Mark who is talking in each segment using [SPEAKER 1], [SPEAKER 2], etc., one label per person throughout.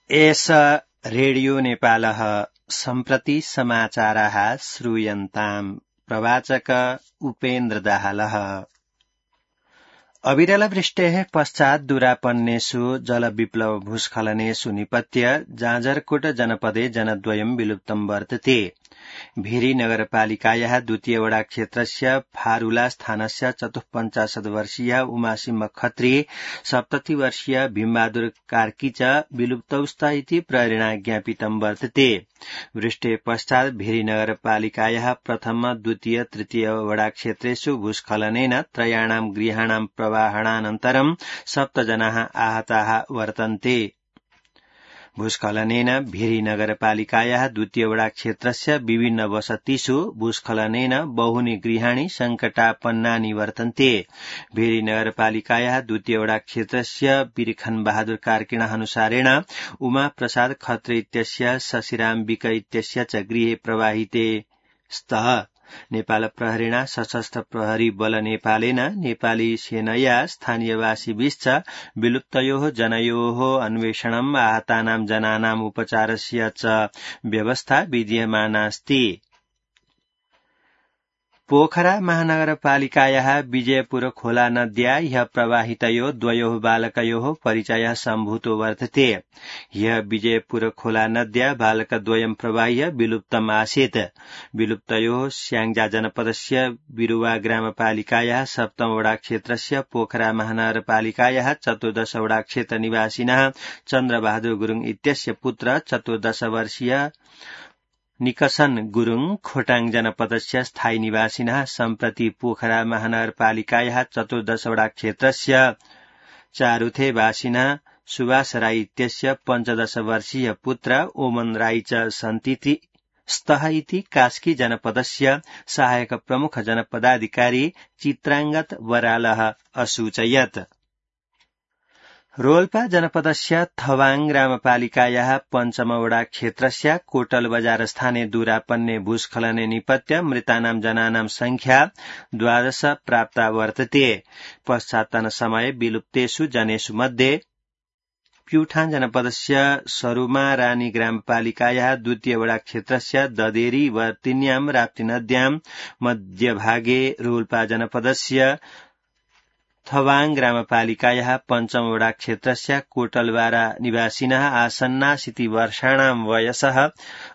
[SPEAKER 1] एष रेडियो नेपालः सम्प्रति समाचाराः श्रूयन्ताम्। प्रवाचक उपेन्द्र दाहालः। अविरलवृष्टेः पश्चात् दूरापन्नेषु जलविप्लव भूस्खलनेषु निपत्य जाजरकोट जनपदे जनद्वयं विलुप्तं वर्तते। भेरी नगरपालिकायाः द्वितीय वडा क्षेत्रस्य फारुला स्थानस्य 54 वर्षीय उमासिंह खत्री 70 वर्षीय भीमबहादुर कार्की च विलुप्तौस्ता इति प्रहरिणा ज्ञापितं वर्तते। वृष्टे पश्चात् भेरी नगरपालिकायाः प्रथम द्वितीय तृतीय वडा क्षेत्रेषु भूस्खलनेन त्रयाणां गृहाणां प्रवाहणानन्तरं 7 जनाः आहताः वर्तन्ते। भूस्खलनेन भेरी नगरपालिकायाः द्वितीय वडा क्षेत्रस्य विभिन्न वसतिषु भूस्खलनेन बहूनि गृहाणि संकटापन्नानि वर्तन्ते। भेरी नगरपालिकायाः द्वितीय वडा क्षेत्रस्य बिरखन बहादुर कार्किणः अनुसारेण उमा प्रसाद खत्री इत्यस्य शशिराम विक इत्यस्य च गृहे प्रवाहिते स्तः। नेपाल प्रहरिणा सशस्त्र प्रहरी बल नेपालेन नेपाली सेनया स्थानीयवासिभिश्च विलुप्तयोः जनयोः अन्वेषणम् आहतानां जनानाम् उपचारस्य च व्यवस्था विधीयमानास्ति। पोखरा महानगरपालिकायाः विजयपुर खोला नद्या ह्यः प्रवाहितयोः द्वयोः बालकयोः परिचयः सम्भूतो वर्तते। ह्यः विजयपुर खोला नद्या बालकद्वयं प्रवाह्य विलुप्तम् आसीत्। विलुप्तयोः स्याङ्जा जनपदस्य बिरुवा ग्रामपालिकायाः 7 वडा क्षेत्रस्य पोखरा महानगरपालिकायाः 14 वडा क्षेत्र निवासिनः चन्द्रबहादुर गुरुङ इत्यस्य पुत्र 14 वर्षीय निकसन गुरुङ खोटाङ जनपदस्य स्थायी निवासिनः सम्प्रति पोखरा महानगरपालिकायाः 14 वडा क्षेत्रस्य चारुथे वासिनः सुभाष राई इत्यस्य 15 वर्षीय पुत्र ओमन राई च सन्ति स्तः इति कास्की जनपदस्य सहायक प्रमुख जनपदाधिकारी चित्रांगत बरालः असूचयत्। रोल्पा जनपदस्य थवाङ ग्रामपालिकायाः 5 वडा क्षेत्रस्य कोटल बजार स्थाने दूरापन्ने भूस्खलने निपत्य मृतानां जनानां संख्या 12 प्राप्ता वर्तते। पश्चात्तन समय विलुप्तेषु जनेषु मध्ये प्युठान जनपदस्य सरुमा रानी ग्रामपालिकायाः द्वितीय वडा क्षेत्रस्य ददेरी वर्तिन्यां राप्ती नद्यां मध्यभागे रोल्पा जनपदस्य थवाङ ग्रामपालिकायाः 5 वडा क्षेत्रस्य कोटलवारा निवासिनः आसन्नासिति वर्षाणां वयसः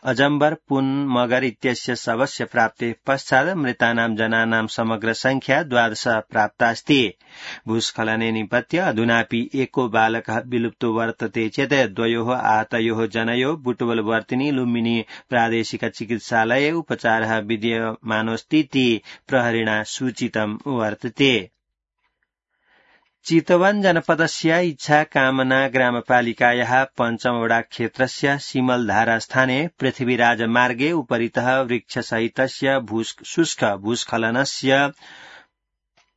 [SPEAKER 1] अजम्बर पुन मगर इत्यस्य शवस्य प्राप्ते पश्चात् मृतानां जनानां समग्र संख्या 12 प्राप्तास्ति। भूस्खलने निपत्य अधुनापि एको बालकः विलुप्तो वर्तते चेत् द्वयोः आहतयोः जनयोः बुटवल वर्तिनी लुम्बिनी प्रादेशिक चिकित्सालये उपचारः विद्यमानोऽस्तीति प्रहरिणा सूचितं वर्तते। चितवन जनपदस्य इच्छा कामना ग्रामपालिकायाः 5 वडा क्षेत्रस्य सिमलधारा स्थाने पृथ्वीराज मार्गे उपरितः वृक्षसहितस्य शुष्क भूस्खलनस्य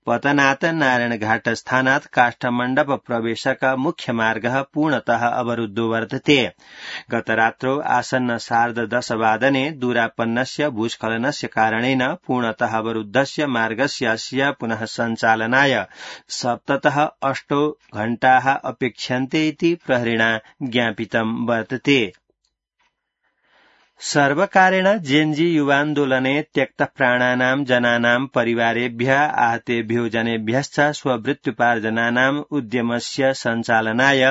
[SPEAKER 1] पतनात् नारायणघाट स्थानात् काष्ठमण्डप प्रवेशक मुख्य मार्गः पूर्णतः अवरुद्धो वर्तते। गतरात्रौ आसन्न 10:30 वादने दूरापन्नस्य भूस्खलनस्य कारणेन पूर्णतः अवरुद्धस्य मार्गस्य अस्य पुनः सञ्चालनाय 7-8 घण्टाः अपेक्ष्यन्ते इति प्रहरिणा ज्ञापितं वर्तते। सर्वकारेण जेन्जी युवान्दोलने त्यक्तप्राणानां जनानां परिवारेभ्यः आहतेभ्यो जनेभ्यश्च स्ववृत्त्युपार्जनानाम् उद्यमस्य सञ्चालनाय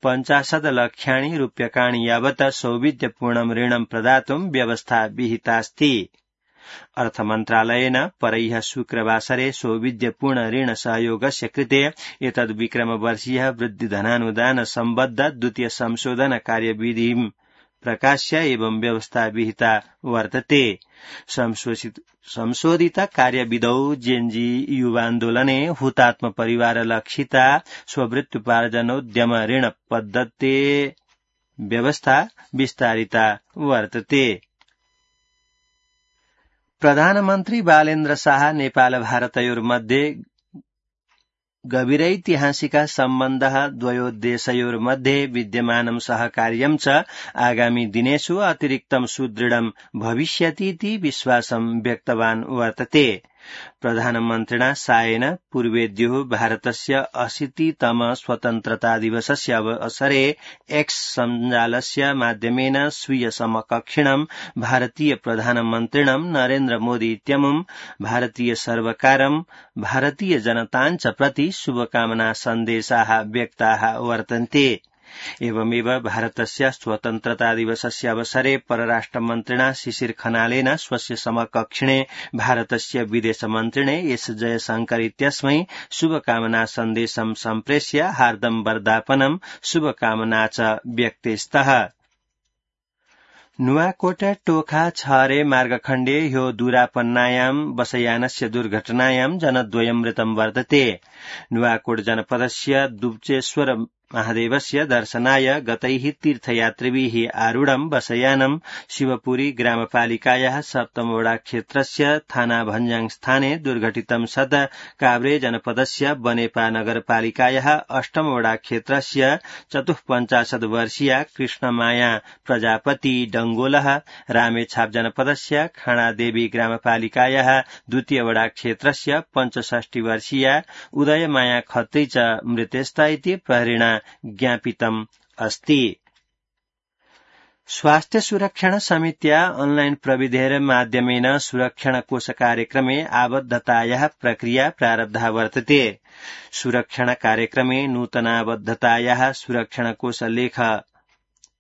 [SPEAKER 1] 50 लक्षाणि रूप्यकाणि यावत् सौविध्यपूर्णं ऋणं प्रदातुं व्यवस्था विहितास्ति। अर्थमन्त्रालयेन परह्यः शुक्रवासरे सौविध्यपूर्ण ऋण सहयोगस्य कृते एतद्विक्रमवर्षीयः वृद्धिधनानुदान सम्बद्ध द्वितीय संशोधन कार्यविधिं प्रकाश्य एवं व्यवस्था विहिता वर्तते। संशोधित कार्यविधौ जेन्जी युवान्दोलने हुतात्म परिवार लक्षिता स्ववृत्त्युपार्जनोद्यम ऋण पद्धते व्यवस्था विस्तारिता वर्तते। प्रधानमन्त्री बालेन्द्र शाह नेपाल भारतयोर्मध्ये गभीरैतिहासिक सम्बन्धः द्वयोः देशयोर्मध्ये विद्यमानं सहकार्यं च आगामी दिनेषु अतिरिक्तं सुदृढं भविष्यति इति विश्वासं व्यक्तवान् वर्तते। प्रधानमन्त्रिणा सायेन पूर्वेद्युः भारतस्य 80तम स्वतन्त्रता दिवसस्य अवसरे एक्स सञ्जालस्य माध्यमेन स्वीय समकक्षिणं भारतीय प्रधानमन्त्रिणं नरेन्द्र मोदी इत्यमुं भारतीय सर्वकारं भारतीय जनताञ्च प्रति शुभकामना सन्देशाः व्यक्ताः वर्तन्ते। एवमेव भारतस्य स्वतन्त्रता दिवसस्य अवसरे परराष्ट्रमन्त्रिणा शिशिर खनालेन स्वस्य समकक्षिणे भारतस्य विदेशमन्त्रिणे एस जयशंकर इत्यस्मै शुभकामना सन्देशं सम्प्रेष्य हार्दं वर्धापनं शुभकामना च व्यक्तेस्तः। नुवाकोट टोखा छहरे मार्गखण्डे ह्यो दूरापन्नायां बसयानस्य दुर्घटनायां जनद्वयं मृतं वर्तते। नुवाकोट जनपदस्य दुब्चेश्वर महादेवस्य दर्शनाय गतैः तीर्थयात्रिभिः आरूढं बसयानं शिवपुरी ग्रामपालिकायाः 7 वडा क्षेत्रस्य थाना भञ्जाङ स्थाने दुर्घटितं सत् काभ्रे जनपदस्य बनेपा नगरपालिकायाः 8 वडा क्षेत्रस्य 54 वर्षीया कृष्णमाया प्रजापति डंगोलः रामेछाप जनपदस्य खाणादेवी ग्रामपालिकायाः 2 वडा क्षेत्रस्य 65 वर्षीया उदयमाया खत्री च मृतेस्ता इति प्रहरेण ज्ञापितम् अस्ति। स्वास्थ्य सुरक्षण समित्या ऑनलाइन प्रविधेर माध्यमेन सुरक्षण कोष कार्यक्रमे आबद्धतायाः प्रक्रिया प्रारब्धा वर्तते। सुरक्षण कार्यक्रमे नूतनाबद्धतायाः सुरक्षण कोष लेख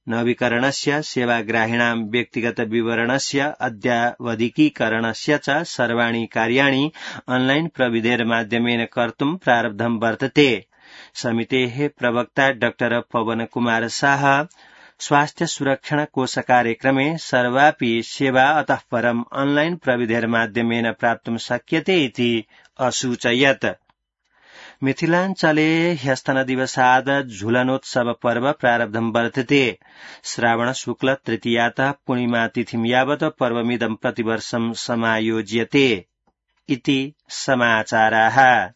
[SPEAKER 1] नवीकरणस्य सेवाग्राहिणां व्यक्तिगत विवरणस्य अद्यावधिकीकरणस्य च सर्वाणि कार्याणि ऑनलाइन प्रविधेर माध्यमेन कर्तुं प्रारब्धं वर्तते। समितेः प्रवक्ता डॉ पवन कुमार शाह स्वास्थ्य सुरक्षण कोष कार्यक्रमे सर्वापि सेवा अतः परम् ऑनलाइन प्रविधेर माध्यमेन प्राप्तुं शक्यते इति असूचयत्। मिथिलाञ्चले ह्यस्तनदिवसाद् झुलनोत्सव पर्व प्रारब्धं वर्तते। श्रावण शुक्ल तृतीयातः पूर्णिमा तिथिं यावत् पर्वमिदं प्रतिवर्षं समायोज्यते इति समाचाराः।